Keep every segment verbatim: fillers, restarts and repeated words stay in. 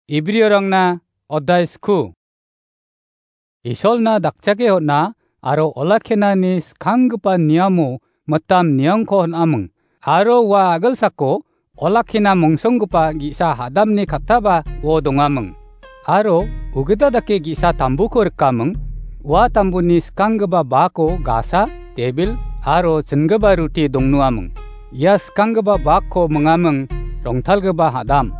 Ibriorangna odai sku. Isolna dakchake hon·a aro olakkianani skanggipa niamo mitam niangko hon·aming. Aro ua a·gilsako olakkiana mongsonggipa ge·sa hadamni kattaba uo dongaming. Aro ugita dake ge·sa tambuko rikaming. Ua tambuni skanggipa bako gasa, tebil aro chingipa ruti dongnuaming. Ia skanggipa bakko mingaming rongtalgipa hadam.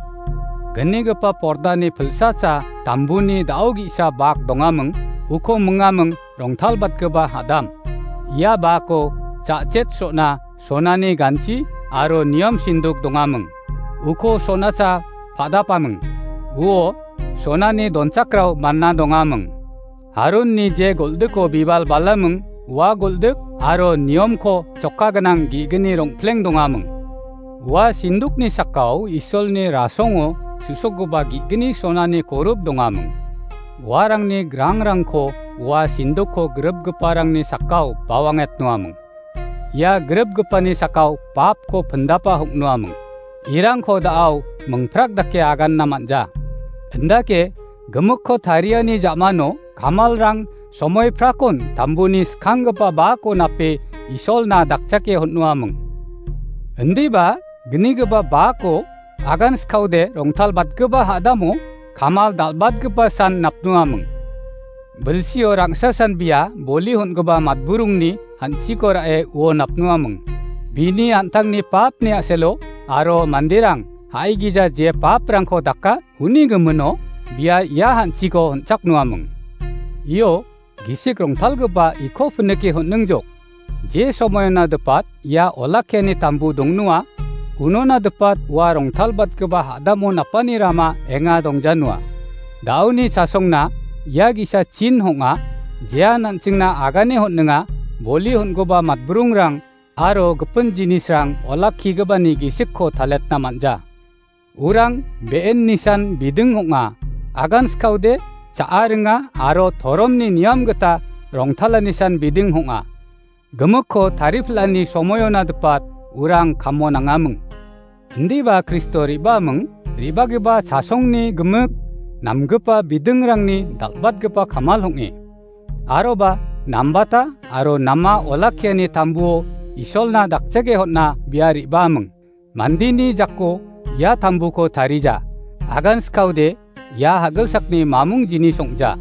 Gnigipa pordani pilsacha tambuni da·o ge·sa bak dongaming, uko mingaming rongtalbatgipa hadam. Ia bako ja·chet so·na sonani ganchi aro niom sinduk dongaming. Uko sonacha padapaming. Uo sonani donchakrao manna dongaming. Haronni je goldiko bibal balaming, ua goldik aro niomko chokka gnang ge·gni rongpleng dongaming. Ua sindukni sakao Isolni rasongo su·sokgipa ge·gni sonani korup dongaming. Uarangni grangrangko ua sindukko gripgiparangni sakao bawangetnoaming. Ia gripgipani sakao papko pindapa hong·noaming. Irangko da·ao mingprak dake aganna man·ja. Indake gimikko tariani ja·mano kamalrang somoiprakon tambuni skanggipa bako nape Isolna dakchake hon·noaming. Indiba gnigipa bako agan skaode rongtalbatgipa hadamo kamal dal·batgipa san napnoaming. Bilsio rangsasan bia boli hon·gipa matburungni hanchiko ra·e uo napnoaming. Bini an·tangni papni a·selo aro manderang ha·igija je paprangko daka uni gimino bia ia hanchiko hon·chaknoaming. Io, gisik rongtalgipa iko pinike hon·ningjok. Je somoiona dipat ia olakkiani tambu dongnoa, unona dipat ua rongtalbatgipa hadamo napani rama enga dongjanoa. Da·oni chasongna ia ge·sa chin hong·a, jean an·chingna agane hon·ninga, boli hon·goba matbrungrang aro gipin jinisrang olakkigipani gisikko taletna man·ja. Urang be·en nisan biding ong·a, agan skaode cha·a ringa aro toromni niam gita rongtala nisan biding ong·a. Gimikko tarifil·ani somoiona dipat urang kamo nangaming. Indiba Kristo re·baaming, re·bagipa chasongni gimik namgipa bidingrangni dal·batgipa kamal ong·e. Aroba nambata aro nama olakkiani tambuo Isolna dakchake hon·a bia re·baaming. Mandeni jako ia tambuko tarija. Agan skaode ia hagilsakni mamung jinis ong·ja.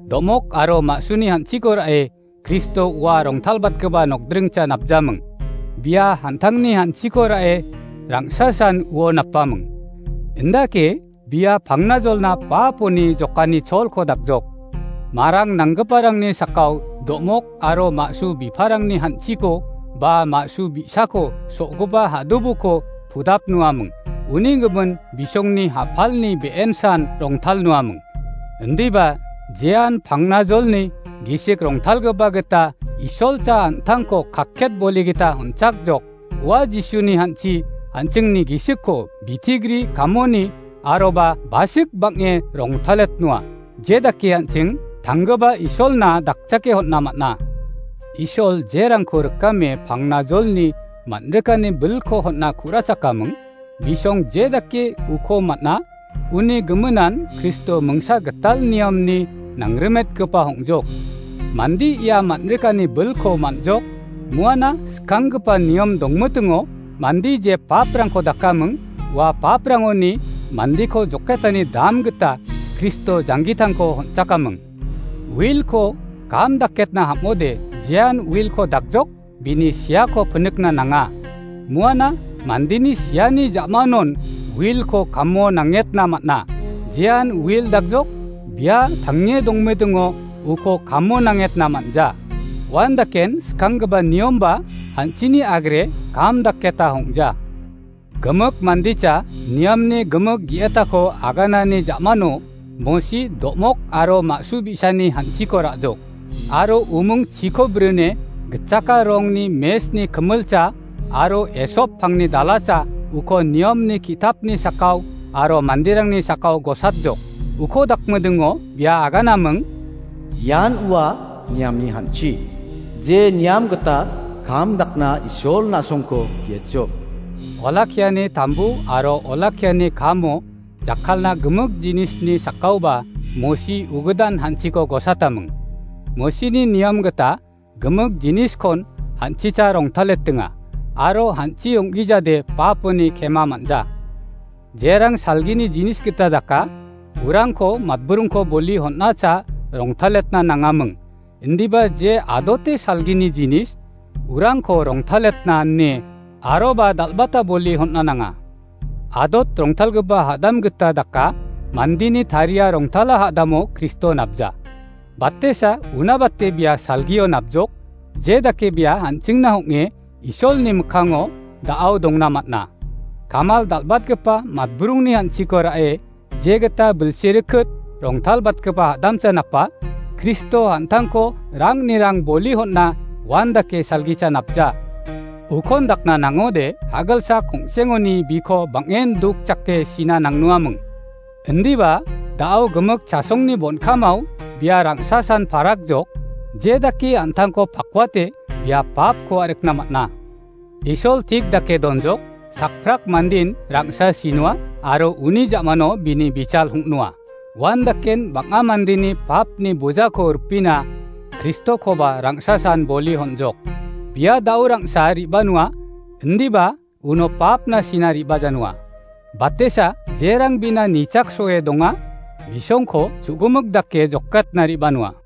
Do·mok aro ma·suni hanchiko ra·e Kristo ua rongtalbatgipa nokdringcha napjaming. Bia an·tangni hanchiko ra·e rangsasan uo napaming. Indake bia pangnajolna ba poni jokani cholko dakjok. Marang nanggiparangni sakao do·mok aro ma·su biparangni hanchiko ba ma·su bi·sako so·gipa hadubuko pudapnoaming. Uni gimin bisongni hapalni be·ensan rongtalnoaming. Indiba jean pangnajolni gisik rongtalgipa gita Isolcha an·tangko kakket boli gita on·chakjok. Ua Jisuni hanchi an·chingni gisikko bitigri kamoni aroba basik bang·e rongtaletnoa. Je dake an·ching tanggipa Isolna dakchake hon·a man·a. Isol jerangko rikame pangnajolni man·rikani bilko hon·a ku·rachakaming. Bisong je dake uko man·a, uni giminan Kristo mingsa gital niamni nangrimetgipa ong·jok. Mande ia man·rikani bilko man·jok, muana skanggipa niam dongmitingo mande je paprangko dakaming, ua paprangoni mandeko joketani dam gita Kristo janggitangko on·chakaming. Uilko kam daketna ham·ode jean uilko dakjok, bini siako pinikna nanga. Muana mandeni siani ja·manon uilko kamo nangetna man·a. Jean uil dakjok, bia tange dongmedingo uko kamo nangetna man·ja. Uandaken skanggipa niomba hanchini agre kam daketa ong·ja. Gimik mandecha niamni gimik ge·etako aganani ja·mano Mosi do·mok aro ma·su bi·sani hanchiko ra·jok. Aro umung chiko brine gitchaka rongni mesni kimilcha aro esop pangni dalacha uko niamni ki·tapni sakao aro manderangni sakao gosatjok. Uko dakmidingo bia aganaming, ian ua niamni hanchi, je niam gita kam dakna Isol na·songko ge·etjok. Olakkiani tambu aro olakkiani kamo jakkalna gimik jinisni sakkaoba Mosi ugidan hanchiko gosataming. Mosini niam gita gimik jiniskon hanchicha rongtaletinga, aro hanchi ong·gijade paponi kema man·ja. Jerang salgini jinis gita daka, urangko matburungko boli hon·acha rongtaletna nangaming. Indiba je adote salgini jinis, urangko rongtaletna ine aroba dal·bata boli hon·a nanga. Adot rongtalgipa hadam gita daka, mandini taria rongtala hadamo Kristo napja. Batesa una bate bia salgio napjok, je dake bia an·chingna ong·e Isolni mikkango da·ao dongna man·a. Kamal dal·batgipa matburungni an·chiko ra·e, je gita bilsi rikit rongtalbatgipa hadamsa napa, Kristo an·tangko rangni rang boli hon·a wan dake salgicha napja. Ukon dakna nangode, hagalsa kongsengoni biko bang·en duk chake sina nangnuaming. Indiba, da·o gimik chasongni bonkamao bia rangsasan parakjok, je dake an·tangko pakwate bia papko a·rikna man·a. Isol tik dake donjok, sakprak mandin rangsa sinua aro uni ja·mano bini bichal hong·noa. Wan daken bang·a mandeni papni bojako ripina Kristokoba rangsasan boli honjok. Bia da·o rangsa riba noa, indiba uno papna sina riba janua. Batesa jerang bina nichaksoe donga, bisongko chu·gimik dake jokatna riba noa.